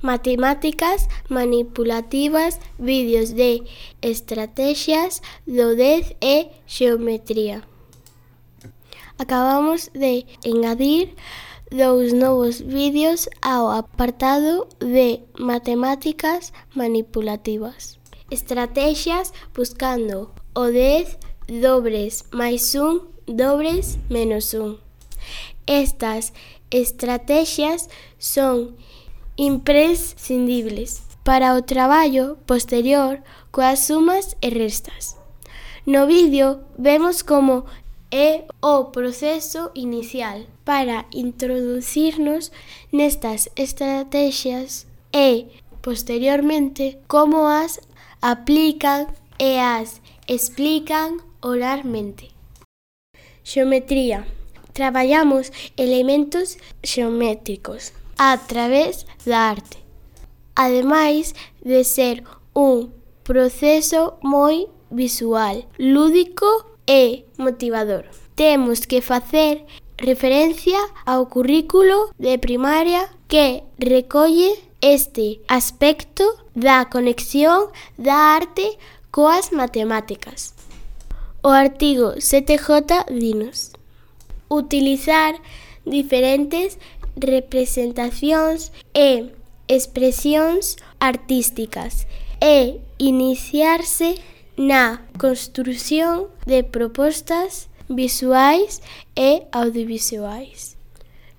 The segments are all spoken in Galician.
matemáticas manipulativas, vídeos de estrategias do 10 e xeometría. Acabamos de engadir 2 novos vídeos ao apartado de matemáticas manipulativas. Estrategias buscando o 10 dobres máis 1 dobres menos 1. Estas estrategias son imprescindibles para o traballo posterior coas sumas e restas. No vídeo vemos como é o proceso inicial para introducirnos nestas estrategias e, posteriormente, como as aplican e as explican oralmente. Xeometría. Traballamos elementos xeométricos a través da arte. Ademais de ser un proceso moi visual, lúdico e motivador. Temos que facer referencia ao currículo de primaria que recolle este aspecto da conexión da arte coas matemáticas. O artigo 7J dinos: utilizar diferentes representacións e expresións artísticas e iniciarse na construción de propostas visuais e audiovisuais.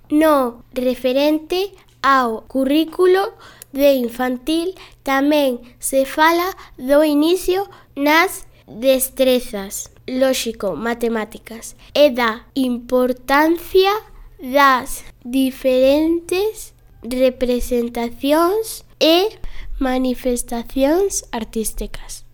No referente ao currículo de infantil tamén se fala do inicio nas destrezas lóxico-matemáticas e da importancia das diferentes representacións e manifestacións artísticas.